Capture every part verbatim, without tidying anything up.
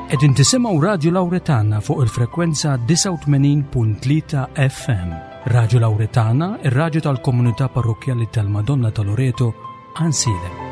Qegħdin tisimgħu Radju Lawretana fuq il-frekwenza disgħa u tmenin punt tlieta F M. Radju Lawretana, ir-radju tal-komunità parrokkjali tal-Madonna ta' Loreto, Għajnsielem.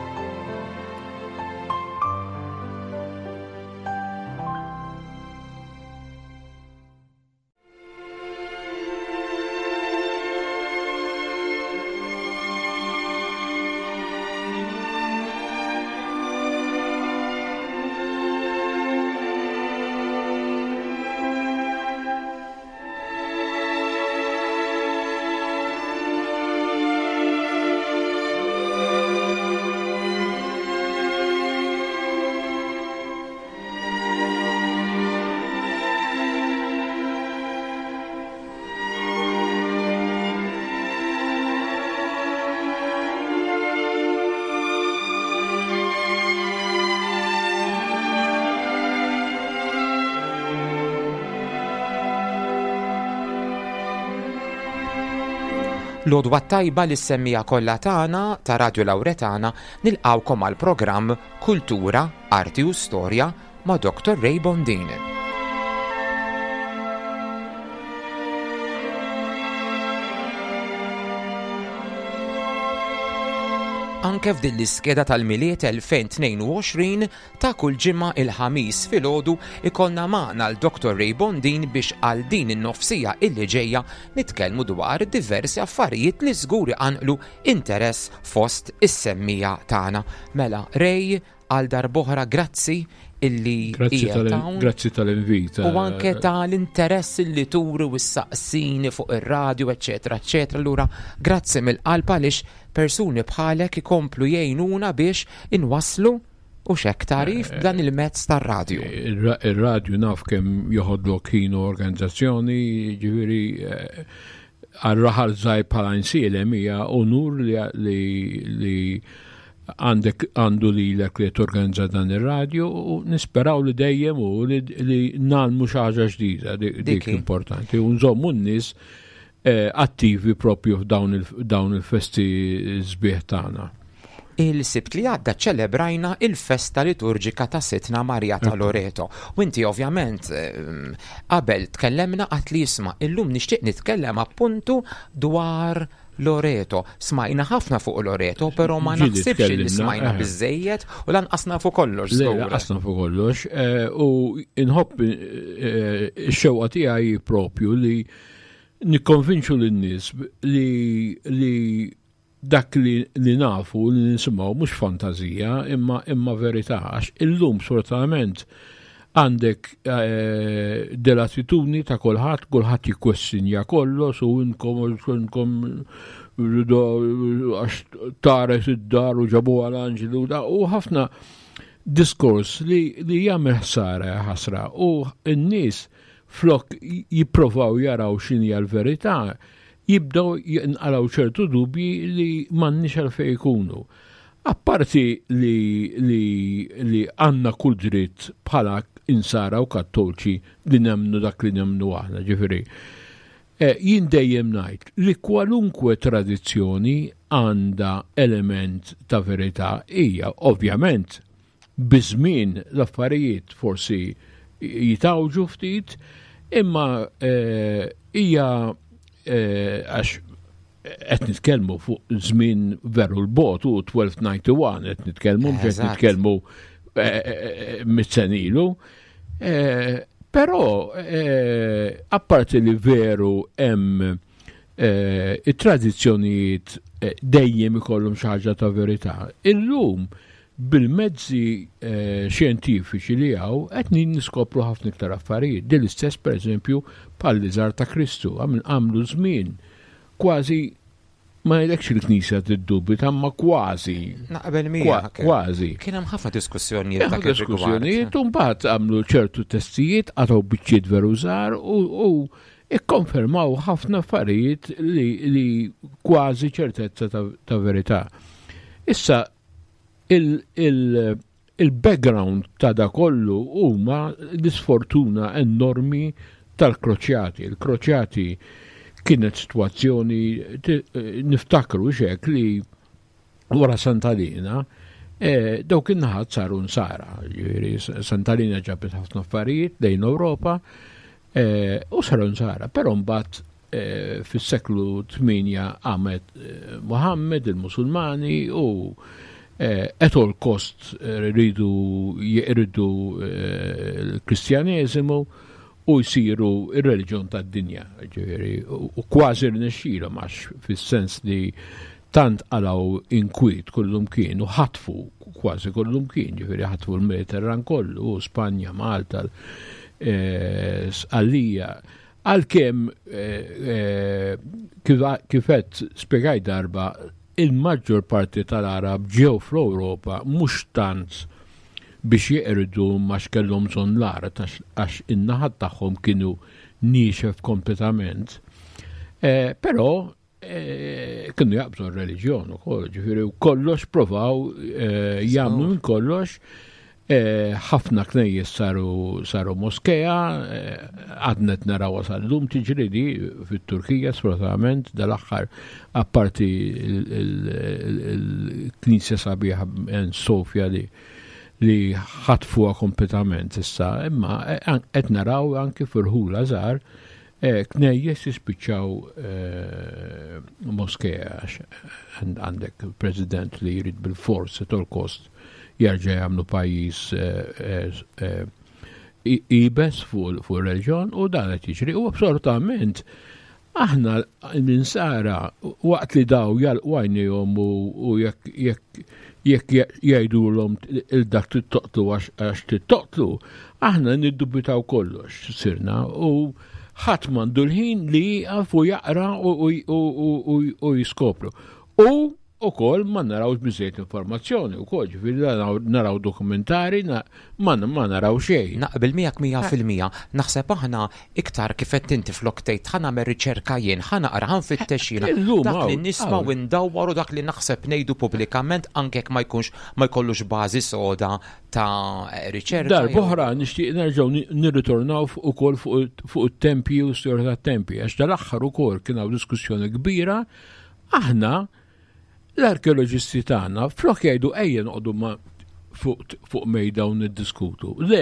L-għodwa tajba li semmija kollha tagħna ta' Radju Lawretana nilqawkom għal programm Kultura, Arti u Storja ma' Doktor Ray Bondin. Anke f'din l-iskeda tal-Milied elfejn tnejn u għoxrin ta' kull ġimgħa il-ħamis filgħodu ikollna magħna l-Doktor Ray Bondin biex għal din in-nofsija illi ġejja nitkellmu dwar diversi affarijiet li żgur iqanqlu interess fost is-semmija tagħna. Mela Ray, għal darb'oħra grazzi illi Grazzi qiegħed tal- hawn. Grazzi tal-invit. U anke tal-interess illi turi u s-saqsini fuq ir-radju, eċetera, eċetera. Allura, grazzi mill-qalb għaliex persuni bħalek ikomplu jgħinuna biex inwasslu u xek tarif Eh, b'dan il-mezz tar-radju. Ir-ra-, ir-radju naf kemm joħodlok ħin u organizzazzjoni, ġifieri, eh, għal-raħal żgħir bħala Għajnsielem hija onur li, li, li għandek għandu lilek li torganizza dan ir-radju u nisperaw li dejjem u li, li nagħmlu xi ħaġa ġdida, di-, dik Diki. importanti, u nżommu n-nies, eh, attivi propju f'dawn il-, dawn il-festi sbieħ tagħna. Il-Sibt li għadda ċelebrajna il-festa liturġika ta' Sidtna Marija ta' Ekku. Loreto. U inti ovvjament, ehm, qabel tkellemna qatt li jisma' illum nixtieq nitkellem appuntu dwar Loreto. Smajna ħafna fuq Loreto, però ma Ġieli naħsibx li tkellimna, smajna eh. biżżejjed u lanqas nafu kollox, Le, żgur. lanqas nafu kollox, eh, u inħobb, eh, ix-xewqa tiegħi propju li nikkonvinċu lin-nies li, li dak li, li nafu li nisimgħu mhux fantazija imma, imma verità, għax illum sfortunatament għandek, eh, dell-attitudni ta' kulħadd, kulħadd jikkwestinja kollox u inkom, inkom għax taret id-dar u ġabuha l-anġlu da, u ħafna diskors li, li jagħmel ħsara ħasra u n-nies flok jipprovaw jaraw x'inhi l-verità, jibdew jinqalgħu ċertu dubji li m'għandniex għalfejn ikunu. Apparti li, li, li għandna kull dritt bħala insara u kattolċi li nemmnu dak li nemmnu aħna, ġifieri. Eh, jien dejjem ngħid li kwalunkwe tradizzjoni għandha element ta' verità hija ovvjament biż-żmien l-affarijiet forsi jitawġu ftit, imma, eh, hija, eh, għax qed nitkellmu fuq żmien veru l-bot u twelve ninety-one qed nitkellmu, mhux qed Eżatt. nitkellmu, eh, eh, mitt sena ilu. Eh, però, eh, apparti li veru hemm, eh, it-tradizzjonijiet, eh, dejjem ikollhom xi ħaġa ta' verità, illum bil-mezzi, eh, xjentifiċi li hawn qed niskopru ħafna iktar affarijiet. Din l-istess pereżempju bħal-liżar ta' Kristu, għamil-, għamlu żmien kważi ma jgħidlekx il-Knisja tiddubita, ma kważi. Naqbel Kwa- miegħek. Kważi. Kien hemm ħafna diskussjonijiet Hemm dak ir-rigward. diskussjonijiet, u mbagħad għamlu ċertu testijiet, qatgħu biċċiet veru żgħar u, u ikkonfermaw ħafna affarijiet li, li kważi ċertezza ta', ta' verità. Issa il, il, il-background ta' da kollu huma l-isfortuna enormi tal-Kroċjati. Il-Kroċjati kienet situazzjoni, ti-, niftakru xek li wara Sant'Alina, Eh, dawk in-naħat saru nsara, ġifieri Santa Linya ġabet ħafna affarijiet lejn Ewropa eh, u saru nsara, però mbagħad eh, fis-seklu tmienja għamet Muhammad, il-Musulmani u at all cost rridu jeqirdu l-Kristjaneżimu u jsiru ir-reliġjon tad-dinja, ġifieri, u kważi rnexxielhom għax fis-sens li tant qalgħu inkwiet kullum kien u ħatfu kważi kullum kien, ġifieri ħatfu l-Mediterran kollu, Spanja, Malta, eh, Sqallija. Għalkemm eh, eh, kif qed spjegaj darba, il-maġġor parti tal-Arab ġew fl-Ewropa mhux tant biex jeqirdu ma kellhom bżonn l-art għax in-naħat tagħhom kienu niexef kompletament. Però kienu jaqbżu r-reliġjon ukoll, ġifieri kollox provaw jagħmlu minn kollox. Ħafna knejjes saru saru moskea, għadna naraw sal-lum tiġri di fit-Turkija sfortunatament dal-aħħar apparti il-knisja sabiħa Sofja li li ħatfuha kompletament issa, imma qed naraw anki f'irħula żgħar knejjes jispiċċaw moskea għax għandek president li jrid bil-fors at all cost jerġa' jagħmlu pajjiż ibes fuq reliġjon u dan qed jiġri. U assolutament aħna l-insara waqt li daw jagħlqu għajnejhom u jekk jekk jgħidulhom il-dak tittoqtlu għax tittoqtlu, aħna niddubitaw kollox sirna u ħadd m'għandu l-ħin li jieqaf u jaqra u jiskopru. U ukoll ma narawx biżejjed informazzjoni wkoll, ġifieri naraw dokumentari, ma naraw xejn. Naqbel miegħek mija fil-mija. Naħseb aħna iktar kif qed inti flok tgħid ħa nagħmel riċerka jien, ħa naqra, ħa nfittex jiena. Dak li nisma' u ndawwaru dak li naħseb ngħidu pubblikament anke jekk ma jkunx ma jkollux bażi soda ta' riċerka. Darb'oħra nixtieq nerġgħu nirritornaw ukoll fuq it-tempji u storja tat-tempji, għax dal-aħħar ukoll kien hawn diskussjoni kbira. Aħna l-arkeoloġisti tagħna flok jgħidu ejja noqogħdu ma fuq mejda u niddiskutu. Le,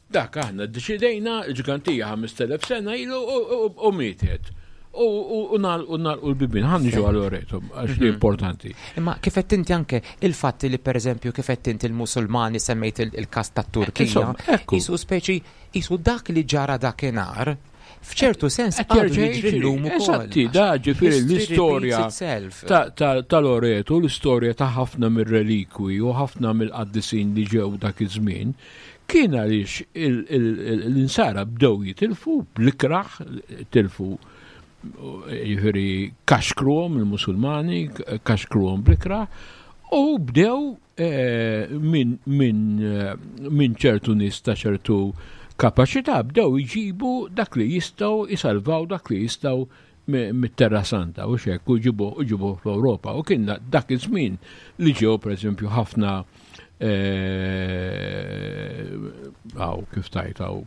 dak aħna ddeċidejna l-ġgantija ħamest elef sena ilu u mietet. U nagħlqu l-bibien, ħa niġu għal Loreto, għax li importanti. Imma kif qed inti anke il-fatti li pereżempju kif qed inti l-Musulmani semmejt il-każ tat-Turkija, qisu speċi qisu dak li ġara dakinhar f'ċertu sens għadu jiġri llum ukoll. Eżatti, da ġifieri l-istorja ta' Loreto, l-istorja ta' ħafna mir-relikwi u ħafna mill-qaddisin li ġew dak iż-żmien, kien għaliex l-insara bdew jitilfu bl-ikraħ, tilfu ġifieri kaxkruhom il-Musulmani, kaxkruhom bl-ikraħ, u bdew minn ċertu nies ta' ċertu kapaċità bdew jġibu dak li jistgħu jisalvaw dak li jistgħu mit-Terra Santa u xek u ġibu u ġibu fl-Ewropa. U kien dak iż-żmien li ġew pereżempju ħafna għaw kif tajt għaw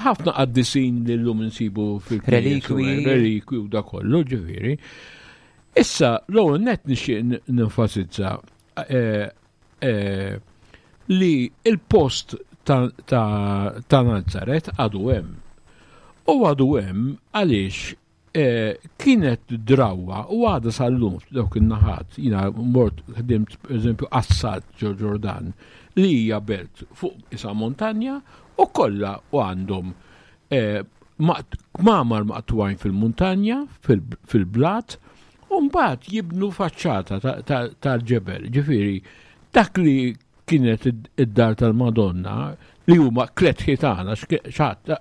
ħafna qaddisin li llum insibu fil-relikwi, relikwi u da kollu ġifieri. Issa l-ewwel nett nixtieq nenfasizza li il-post ta' Nazaret għadu hemm. U għadu hemm għaliex kienet drawa u għadha sal-lum dawk in-naħat, jiena mort ħdimt pereżempju Assad ġo Ġordan li hija belt fuq isa montanja u kollha u għandhom kmamar maqtugħin fil-muntanja, fil-blat, u mbagħad jibnu faċċata tal-ġebel. Ġifieri dak li kienet id-dar tal-Madonna li huma tliet ħitana, xaħat,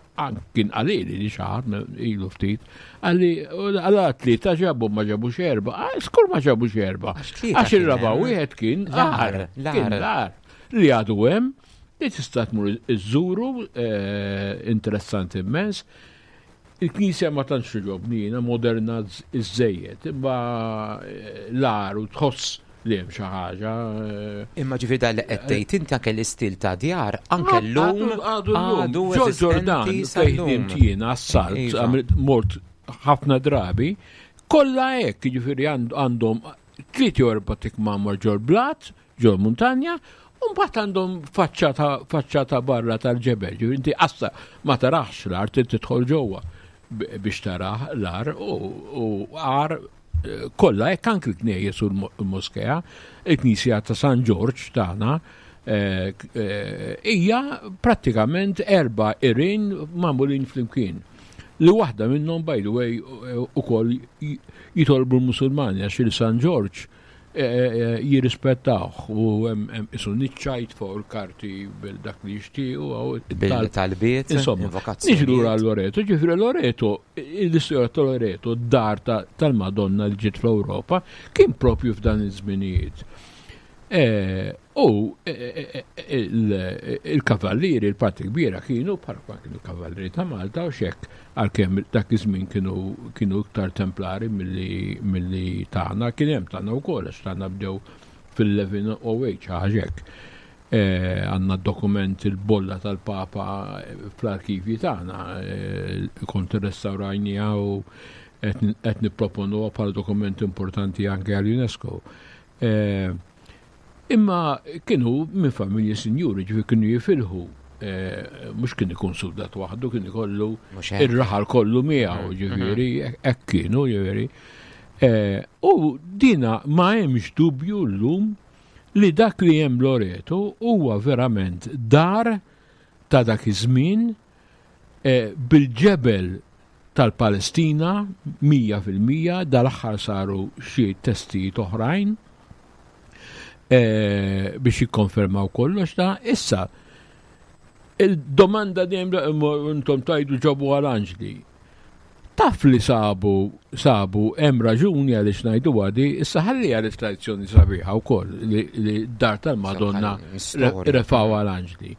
kien qalili li xaħat ilu ftit, għalli għala tlieta ġabu ma ġabux erba, skur ma ġabux erba. Għax ir-raba' wieħed kien l-għar, kien l-għar li għadu hemm, li tista' tmur iżżuru, interessanti immens. Il-knisja ma tantx togħġobni jiena, moderna iżżejjed, imma l-għar u tħoss li hemm xi ħaġa. Imma ġifieri dan li qed tgħid inti anke l-istil ta' djar, anke llum għadu Ġordan fejn ħdimt jiena għas-salt, mort ħafna drabi, kollha hekk, jiġifieri għandhom tliet jew erba' tikmamar ġol blat, ġol muntanja, u mbagħad għandhom faċċata faċċata barra tal-ġebel. Ġifieri inti qassa ma tarax l-art, tidħol ġewwa biex taraħ l-għar u għar kollha hekk anke l-knejjes u l-moskea, il-Knisja ta' San Ġorġ tagħna hija prattikament erba' għerien magħmulin flimkien. Li waħda minnhom, by the way, ukoll jitolbu l-Musulmani, għax il-San Ġorġ jirrispettawh u hemm isu niċċajt fuq il-karti bil-dak li jixtiequ. Bil-talbiet. Insomma, niġu lura Loreto, ġifieri Loreto, l-istorja ta' Loreto, d-dar tal-Madonna li ġiet fl-Ewropa, kien propju f'dan iż-żminijiet. U il-kavallieri, il-parti kbira kienu, bħal kienu kavallieri ta' Malta u xek, għalkemm dak iż-żmien kienu kienu iktar templari milli tagħna, kien hemm tagħna wkoll, għax tagħna bdew fil-elef u tmien mija u tmienja ħaġek. Għandna dokument, il-bolla tal-Papa, fl-arkivji tagħna, kont restawrajnija u qed nipproponuha bħala dokument importanti anke għall-UNESCO. Imma kienu minn familji sinjuri, ġifieri kienu jifilħu, mhux kien ikun soldat waħdu, kien ikollu ir-raħal kollu miegħu, ġifieri, hekk kienu, ġifieri. U dina ma hemmx dubju llum li dak li hemm Loreto huwa verament dar ta' dak iż-żmien bil-ġebel tal-Palestina mija fil-mija. Dal-aħħar saru xi testijiet oħrajn biex jikkonfermaw kollox da. Issa, il-domanda dejjem intom tajdu ġabu għal-anġli. Taf li sabu, sabu hemm raġuni għaliex ngħidu għadi, issa ħalli għaliex tradizzjoni sabiħa wkoll li, li dar tal-Madonna refaw għal-anġli.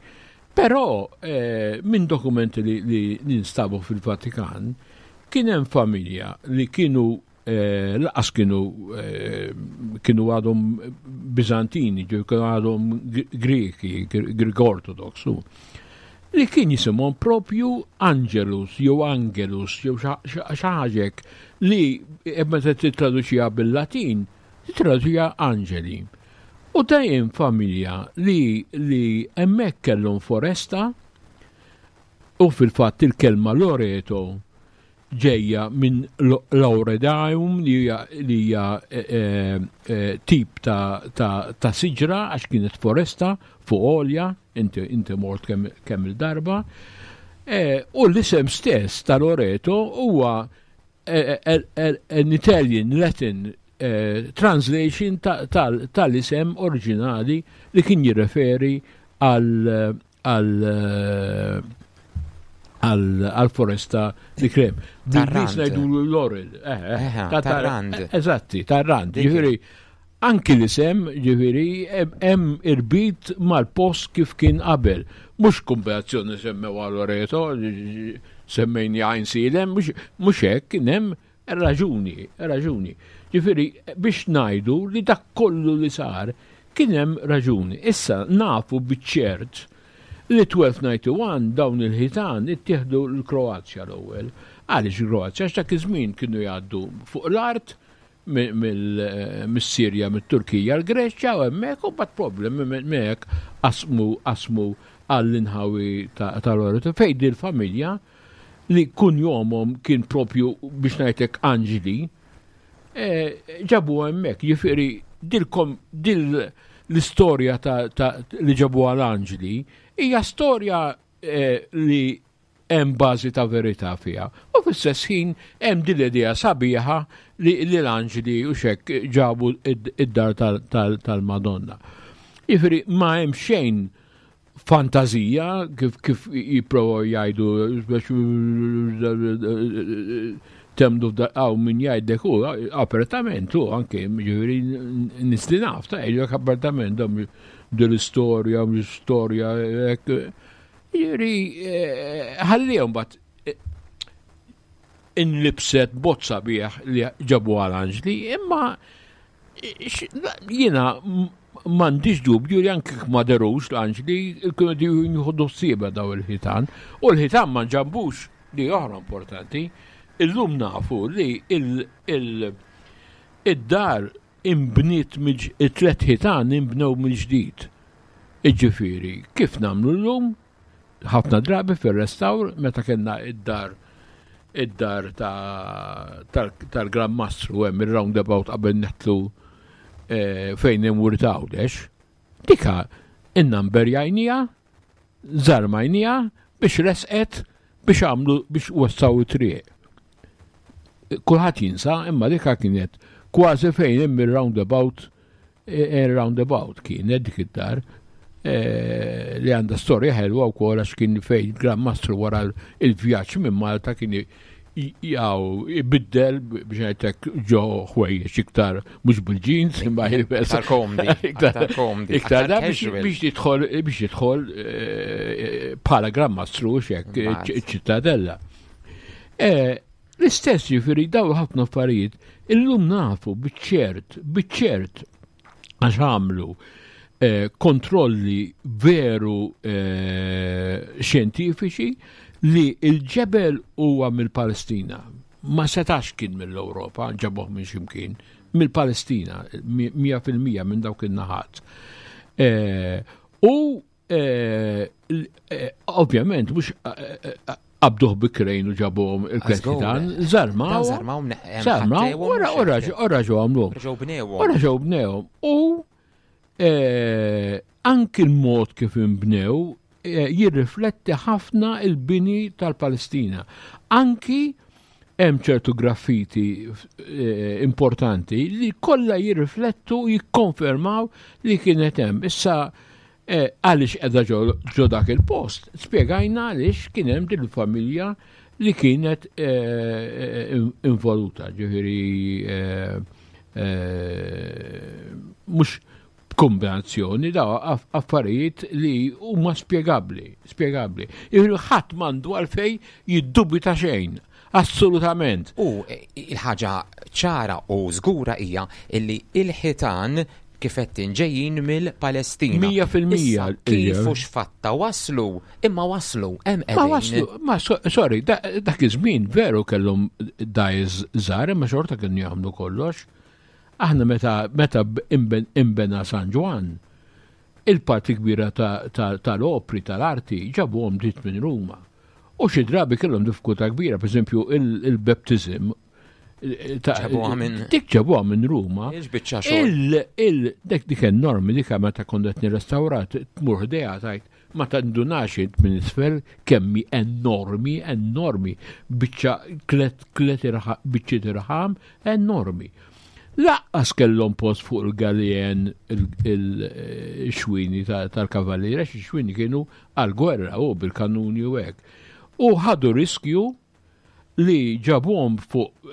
Però eh, minn dokumenti li, li ninstabu fil-Vatikan kien hemm familja li kienu eh, laqas kienu eh, kienu għadhom Bizantini, ġew kienu għadhom Greki, Greek Orthodox, li kien jisimhom propju Angelus jew Angelus jew xi ħaġa li meta titraduċiha bil-Latin titraduċiha Angeli. U dejjem familja li li hemmhekk kellhom foresta u fil-fatt il-kelma Loreto ġejja minn Lauredaum, li hija tip ta', ta, ta' siġra, għax kienet foresta fuq għolja, inti, inti mort kemm kem il-darba. E, u l-isem stess ta' Loreto huwa an Italian Latin eh, translation tal-isem oriġinali li kien jirreferi għal għal għal-foresta li krem. Tar-rand. Ngħidu laurel. Tar-rand. Eżatti, tar-rand. Ġifieri, anki l-isem, ġifieri, hemm irbit mal-post kif kien qabel. Mhux kombinazzjoni semmew għal Loreto, semmejni Għajnsielem, mhux hekk, kien hemm raġuni, raġuni. Ġifieri, biex ngħidu li dak kollu li sar kien hemm raġuni. Issa nafu biċ-ċert li elf u tnax mija u wieħed u disgħin dawn il-ħitan ittieħdu l-Kroazja l-ewwel. Għaliex il-Kroazja? Għax dak iż-żmien kienu jgħaddu fuq l-art mis-Sirja, mit-Turkija, l-Greċja u hemmhekk u bat problemi hemmhekk qasmu qasmu għall-inħawi tal-Loreto fejn il-familja li kun jomhom kien propju, biex ngħidlek, anġli ġabu hemmhekk. Ġifieri dilkom dil l-istorja ta' li ġabu għal-anġli hija storja li hemm bażi ta' verità fiha. U fl-istess ħin hemm din l-idea sabiħa li l-anġli u xek ġabu id-dar tal-Madonna. Jiġifieri ma hemm xejn fantazija kif kif jipprovaw jgħidu biex temdu għaw min jgħidlek u apertament u anke ġifieri nies li naf ta' jgħidlek apertament dil-istorja, l-istorja, ġifieri ħallihom bat inlibset bozza bieħ li ġabu għal-anġli, imma jiena m'għandix dubju li anke ma derux l-anġli kienu jieħdu ħsieba daw il-ħitan u l-ħitan ma nġabux, li oħra importanti. Illum nafu li il-dar imbniet it-tlet ħitan imbnew mill-ġdid. Iġifieri, kif nagħmlu llum? Ħafna drabi fir-restawr meta kellna id-dar id-dar tal-Gran Mastru hemm ir-roundabout qabel neħtlu fejn hemm Wirt Għawdex. Dika innamberjajnija, żarmajnija biex resqet biex għamlu biex wessaw it-triq. Kulħadd jinsa, imma dika kienet kważi fejn hemm ir-roundabout, ir-roundabout kienet dik id-dar li għandha storja ħelwa wkoll għax kien fejn Gran Mastru wara il-vjaġġ minn Malta kien jaw ibiddel biex ngħidlek ġo ħwejjeġ iktar mhux bil-jeans imma jilbes iktar komdi, iktar komdi, iktar da biex jidħol biex jidħol bħala Gran Mastru x'hekk iċ-ċittadella. L-istess jiġifieri daw ħafna affarijiet illum nafu biċ-ċert, biċ-ċert għax għamlu kontrolli veru xjentifiċi li il-ġebel huwa mill-Palestina. Ma setax kien mill-Ewropa, ġabuh minn ximkien, mill-Palestina, mija fil-mija minn dawk in-naħat. U ovvjament mhux qabduh bi krejn u ġabuhom il-Kristjan, żarmaw, żarmaw, ora ġew għamluhom. Ora ġew bnewhom. U anki l-mod kif inbnew jirrifletti ħafna il-bini tal-Palestina. Anki hemm ċertu graffiti importanti li kollha jirriflettu jikkonfermaw li kienet hemm. Issa għaliex qiegħda ġo dak il-post? Spjegajna għaliex kien hemm din il-familja li kienet involuta, ġifieri mhux kombinazzjoni da affarijiet li huma spjegabbli, spjegabbli. Ħadd m'għandu għalfejn jiddubita xejn, assolutament. U il-ħaġa ċara u żgura hija illi il-ħitan kif qed ġejjin mill-Palestina. Mija fil-mija. Kif u x'fatta waslu, imma waslu, hemm qegħdin. Ma waslu, ma sorry, dak iż-żmien veru kellhom dajs żgħar, imma xorta kienu jagħmlu kollox. Aħna meta meta imbena San Ġwann, il-parti kbira tal-opri tal-arti ġabuhom dritt minn Ruma. U xi drabi kellhom diffikultà kbira, pereżempju il-baptism ġabuha minn dik ġabuha minn Ruma. Il dik dik enormi dik meta kont qed nirrestawrat tmur ħdejha tajt ma tandunax int minn isfel kemmi enormi, enormi, biċċa klet klet biċċiet irħam enormi. Laqqas kellhom post fuq il-galien il-xwini tal-kavalliera, xi xwini kienu għal-gwerra u bil-kanuni u hekk. U ħadu riskju li ġabuhom fuq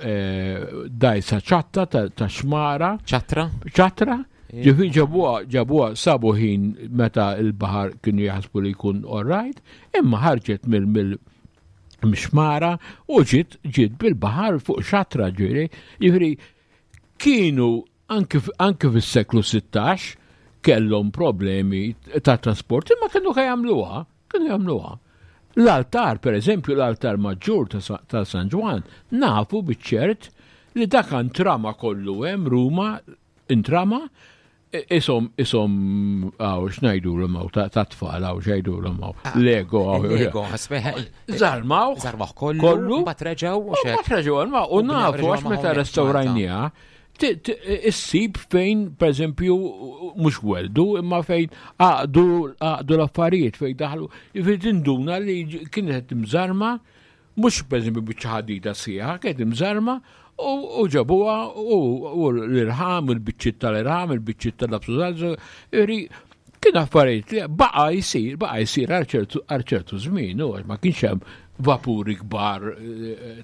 dajsa ċatta ta' xmara. Ċatra? Ċatra. Ġifieri ġabuha ġabuha sabu ħin meta l-baħar kienu jaħsbu li jkun all right, imma ħarġet mill mxmara u ġiet ġiet bil-baħar fuq xatra ġifieri. Ġifieri kienu anke anke fis-seklu sittax kellhom problemi ta' trasport, imma kienu jagħmluha, kienu jagħmluha. L-altar, per eżempju, l-altar maġġur ta' San Ġwann, nafu biċ-ċert li dak intrama kollu hemm Ruma intrama isom isom għaw x'ngħidulhom hawn ta' tfal hawn x'għidulhom hawn Lego hawn. Lego, żarmaw żarmaw kollu, mbagħad reġgħu u xek. Mbagħad reġgħu u nafu għax meta restawrajniha issib fejn, per eżempju, mhux weldu, imma fejn għaqdu għaqdu l-affarijiet fejn daħlu, jiġifieri tinduna li kienet imżarma, mhux per eżempju biċċa ħadida sħiħa, kienet imżarma u ġabuha u l-irħam, il-biċċiet tal-irħam, il-biċċiet tal-absużal, jiġifieri kien affarijiet li baqa' jsir, baqa' jsir għal ċertu żmien, u ma kienx hemm vapuri kbar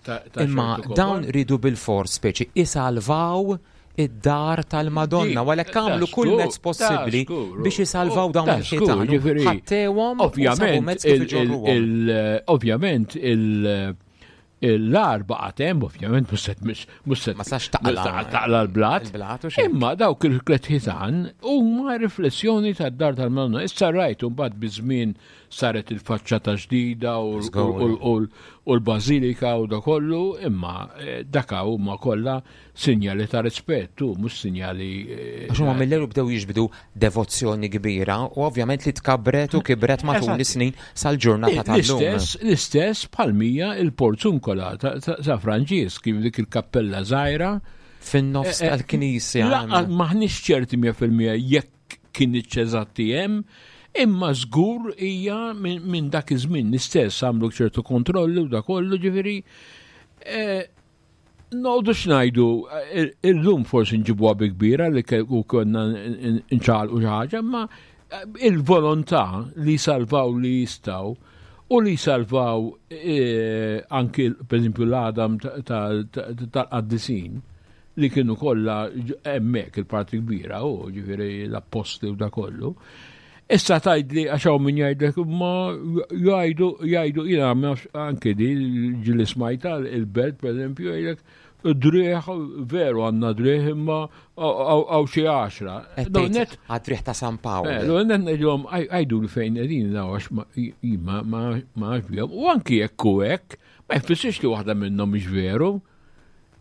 ta' Imma dawn ridu bil-fors speċi isalvaw id-dar tal-Madonna, għalhekk għamlu kull mezz possibbli biex isalvaw dawn il-ħitan. Ħattewhom ovvjament ovvjament L-għar baqgħet hemm, ovvjament, mhux mhux Ma sax taqla. Taqla l-blat. Il-blat u xejn. Imma dawk il-tliet ħitan huma riflessjoni tad-dar tal-Madonna. Issa rajt mbagħad biż-żmien saret il-faċċata ġdida u u l-bażilika u da kollu, imma eh, daka huma kollha sinjali ta' rispettu, mhux sinjali. Eh, Għax huma mill bdew jiġbdu devozzjoni kbira u ovvjament li tkabret u kibret matul is-snin sal-ġurnata tal-lum. L-istess, l-istess bħalmija il-Porzunkola ta' Franġisk, kif dik il-kappella żgħira. Fin-nofs eh, tal-knisja. Maħniex ċerti mija fil-mija jekk kien eżatti hemm, imma żgur hija minn dak iż-żmien l-istess għamlu ċertu kontrolli u da kollu, ġifieri. Noqogħdu x'ngħidu, illum forsi nġibuha bi kbira li u konna nċaqalqu xi ħaġa, imma il-volontà li salvaw li jistgħu u li salvaw anki per esempio l-għadam tal-qaddisin li kienu kollha hemmhekk il-parti kbira, u ġifieri l-appostli u da kollu. Issa tgħidli għax hawn min jgħidlek ma jgħidu jgħidu jiena anke di ġieli smajta il-Belt, per eżempju, jgħidlek driħ veru għandna driħ imma għaw xi għaxra. Għad-driħ ta' San Pawl. Net ngħidilhom għajdu li fejn qegħdin għax ma ma bihom. U anki jekk hu hekk, ma jfissirx li waħda minnhom mhix veru.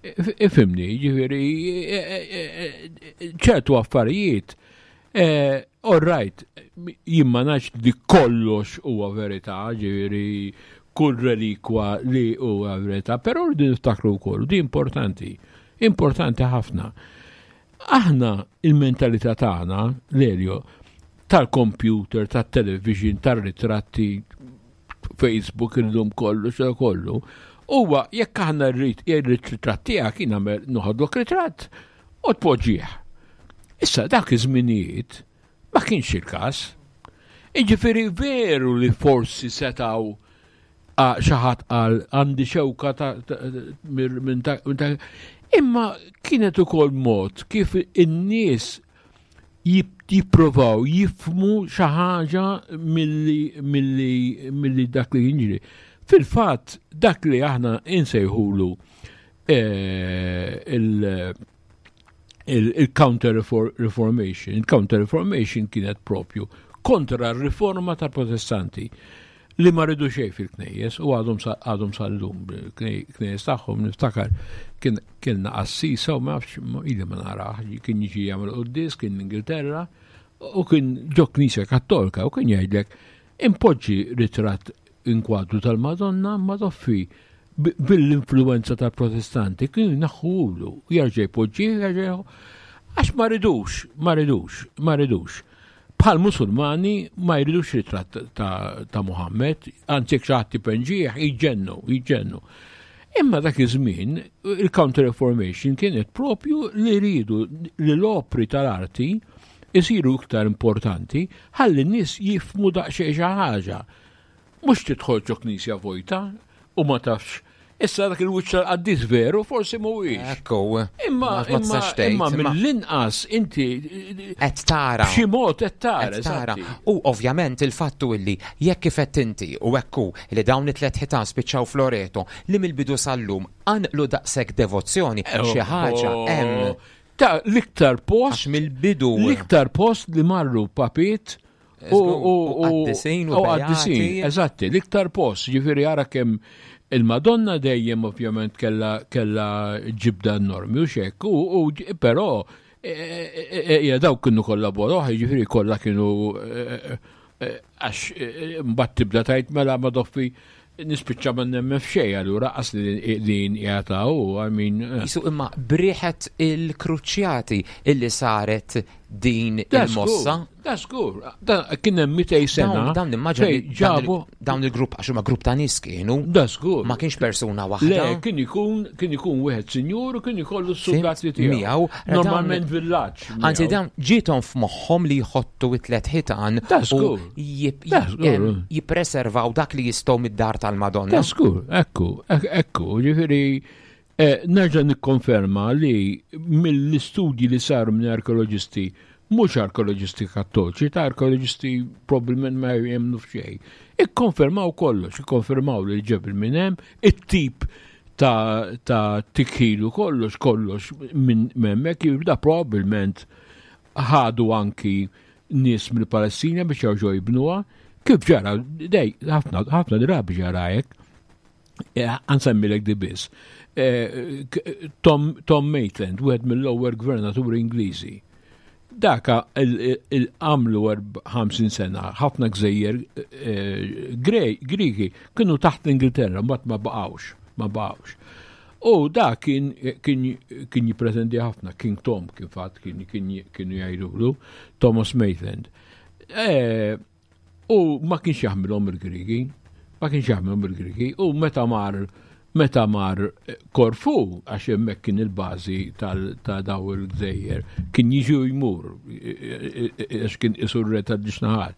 Ifhimni, ġifieri ċertu affarijiet. All right, jien ma nafx li kollox huwa verità, ġifieri kull relikwa li huwa verità, però rridu niftakru wkoll, di importanti, importanti ħafna. Aħna il-mentalità tagħna, Lelio, tal-computer, tat-television, tar-ritratti, Facebook illum kollu, xa kollu, huwa jekk aħna rrid ir-ritratt tiegħek jien nagħmel noħodlok ritratt u tpoġġih. Issa dak iż-żminijiet ma kienx il-każ. Jiġifieri veru li forsi setgħu xi ħadd qal għandi xewka ta' minn ta' imma kienet ukoll mod kif in-nies jipprovaw jifhmu xi ħaġa milli milli milli dak li jiġri. Fil-fatt dak li aħna insejħulu il- il-Counter Reformation. Il-Counter Reformation kienet propju kontra r-riforma tal-Protestanti li ma ridu xejn fil-knejjes u għadhom għadhom sal-lum knejjes tagħhom. Niftakar kien kienna qassisa u ma nafx ili ma naraħ, kien jiġi jagħmel quddies, kien l-Ingilterra u kien ġo knisja Kattolika u kien jgħidlek impoġġi ritratt inkwadru tal-Madonna ma toffi bil-influenza tal-Protestanti kienu jneħħuhulu, jerġa' jpoġġih, jerġa' għax ma ridux, ma ridux, ma ridux. Bħal Musulmani ma jridux ritratt ta', ta Muhammed, anzi jekk xi ħadd ipenġih jiġġennu, jiġġennu. Imma dak iż-żmien il-Counter Reformation kienet propju li rridu li l-opri tal-arti isiru iktar importanti ħalli n-nies jifhmu daqsxejn xi ħaġa. Mhux tidħol ġo knisja vojta u ma tafx. Issa dak il-wiċċ tal-qaddis veru forsi mhuwiex. Ekku. Imma ma tistax tgħid, imma imma mill-inqas inti qed tara. B'xi mod qed tara. Qed tara. U ovvjament il-fattu illi jekk kif qed inti u ekku li dawn it-tliet ħitan spiċċaw f'Loreto li mill-bidu sal-lum qanqlu daqshekk devozzjoni, xi ħaġa hemm. Ta' l-iktar post Għax mill-bidu. L-iktar post li marru papiet u qaddisin u u qaddisin, beati. Eżatti, l-iktar post, ġifieri ara kemm il-Madonna dejjem ovvjament kella, kella ġibda enormi u xek, u, u però e, dawk kienu kollha boroħ, ġifieri kollha kienu għax mbagħad tibda tgħid mela ma doffi nispiċċa ma nemmen f'xejn, allura qas li din qiegħda u I mean. Jisu imma briħet il-kruċjati illi saret din il-mossa. Da żgur, da kien hemm mitejn sena. Dawn immaġina fejn ġabu dawn il-grupp, għax huma grupp ta' nies kienu. Da żgur. Ma kienx persuna waħda. Le, kien ikun kien ikun wieħed sinjur u kien ikollu s-soldati tiegħu. Miegħu, Normalment villaġġ. Anzi dawn ġiethom f'moħħhom li jħottu it-tliet ħitan Da u żgur. jip- Da żgur. em, jippreservaw dak li jistgħu mid-dar tal-Madonna. Da żgur, ekku, ekku, ġifieri eh, nerġa' nikkonferma li mill-istudji li saru minn arkeoloġisti, mhux arkeoloġisti kattoliċi, ta' arkeoloġisti probabbilment ma jemmnu f'xejn. Ikkonfermaw kollox, ikkonfermaw li ġebel minn hemm, it-tip ta' ta' tikħil u kollox kollox minn hemmhekk jibda probabbilment ħadu anki nies mill-Palestina biex jerġgħu jibnuha. Kif ġara, dej, ħafna ħafna drabi ġara hekk. Eh, ħa nsemmilek di biss. Eh, k- Tom, Tom Maitland, wieħed mill-ewwel gvernaturi Ingliżi. Daka il-għamlu ħamsin sena, ħafna gżejjer eh, Gre- Griki kienu taħt l-Ingilterra, mbagħad ma baqgħux, ma baqgħux. U da kien kien kien jippretendi ħafna, King Tom kien fatt kien kien kienu jgħidulu, Thomas Maitland. Eh, U ma kienx jaħmilhom il-Griki, ma kienx jaħmilhom il-Griki, u meta mar meta mar Korfu, għax hemmhekk kien il-bażi tal- ta' daw il-gżejjer, kien jiġi u jmur, għax kien isur re ta' naħat.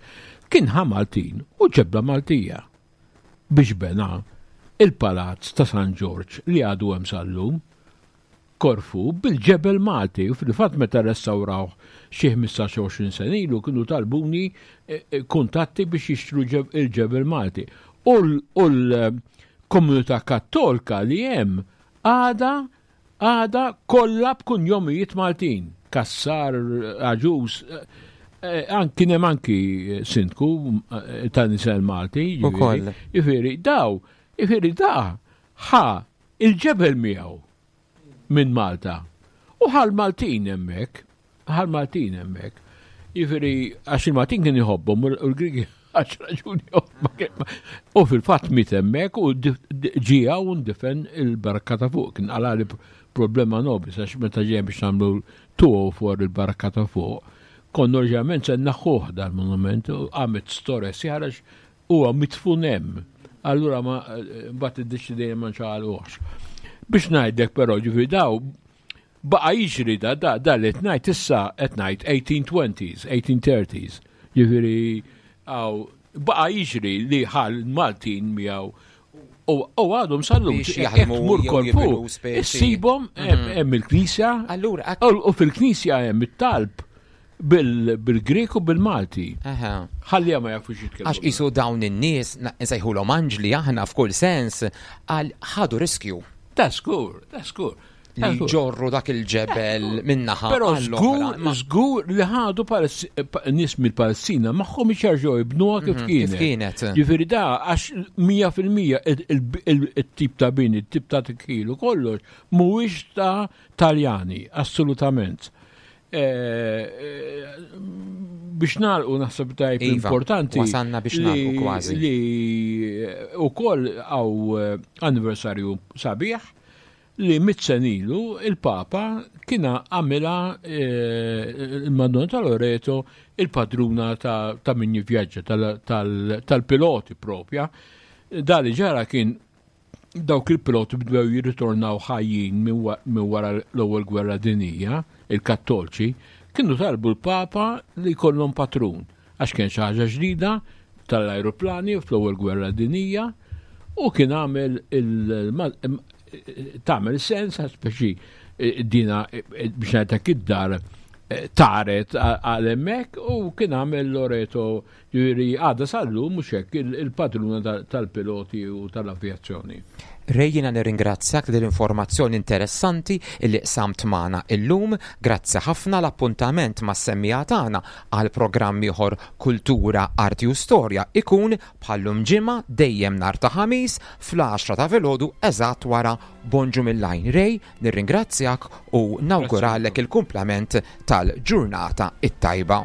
Kien ħa Maltin u ġebla Maltija biex bena il-palazz ta' San Ġorġ li għadu hemm sal-lum. Korfu bil-ġebel Malti u fil-fatt meta restawraw xi ħmistax sena ilu kienu talbuni eh, eh, kuntatti biex jixtru ġeb- il-ġebel Malti. U l- u l-komunità kattolika li hemm għada għada kollha b'kunjomijiet Maltin. Kassar, Aġus, eh, eh, kien hemm anki sindku eh, ta' nisel Malti. ġifieri. Ukoll. Jiġifieri, daw, jiġifieri da, ħa il-ġebel miegħu minn Malta. U ħal Maltin hemmhekk, ħal Maltin hemmhekk. Jiġifieri, għax il-Maltin kien jħobbhom u l-Griki għax raġuni oħra kien- U fil-fatt miet hemmhekk u di- di- ġie u ndifen il-barka ta' fuq. Kien qalali problema nobis għax meta ġej biex nagħmlu two oh four il-barka ta' fuq. Konna oriġinalment se naħħuh dal-monument u għamet storja sħiħa huwa mitfun hemm. Allura ma mbagħad iddeċidejna ma nċaqalquhx. Biex ngħidlek però ġifieri daw baqa' jiġri da da da li qed ngħid issa qed ngħid eighteen twenties, eighteen thirties. Ġifieri għaw baqa' jiġri li ħal Maltin miegħu u u għadhom sal-lum Biex jaħdmu tmur jew Korfu, jibnu speċi. issibhom hemm hemm il-knisja Allura, ak- u u fil-knisja hemm it-talb bil- bil-Grek u bil-Malti. Aha. Ħalli ma jafux jitkellmu. Għax isu dawn in-nies, na- nsejħulhom anġli aħna f'kull sens, għal ħadu riskju Ta' skur, ta' skur. li ġorru dak il-ġebel minnaħa Pero għall-oħra. żgur, Ma- żgur li ħadu Palesti- pa- nies mill-Palestina magħhom jerġgħu jibnuha kif Mhm, kienet. kif kienet. Ġifieri da għax mija fil-mija il-tip ta' bini, il-tip ta' tikħil u kollox mhuwiex ta' Taljani, assolutament. Eh, eh, Biex nagħlqu naħseb tajb Iva, importanti. wasalna biex li- nagħlqu kważi. Li ukoll għaw eh, anniversarju sabiħ li mitt sena ilu il-Papa kien għamilha eh, il-Madonna ta' Loreto il-padruna ta', ta' min jivvjaġġa tal- tal- tal-piloti propja. Da li ġara kien dawk il-piloti bdew jirritornaw ħajjin minn wa- minn wara l-ewwel gwerra dinija, il-Kattolċi, kienu talbu l-Papa li jkollhom patrun għax kien xi ħaġa ġdida tal-ajruplani fl-ewwel gwerra dinija u kien għamel il tagħmel sens għax speċi eh, dina eh, biex ngħidlek id-dar eh, taret għal hemmhekk u kien għamel Loreto ġifieri għadha sal-lum mhux hekk il- il-padruna tal- tal-piloti u tal-avjazzjoni. Ray, jiena nirringrazzjak dil-informazzjoni interessanti illi qsamt magħna illum. Grazzi ħafna. L-appuntament ma' semmija tagħna għal programm ieħor Kultura, Arti u Storja ikun bħallum ġimgħa dejjem nhar ta' Ħamis fl-għaxra ta' filgħodu eżatt wara Bonġu mill-Għajn. Ray, nirringrazzjak u nawguralek il-kumplament tal-ġurnata it-tajba.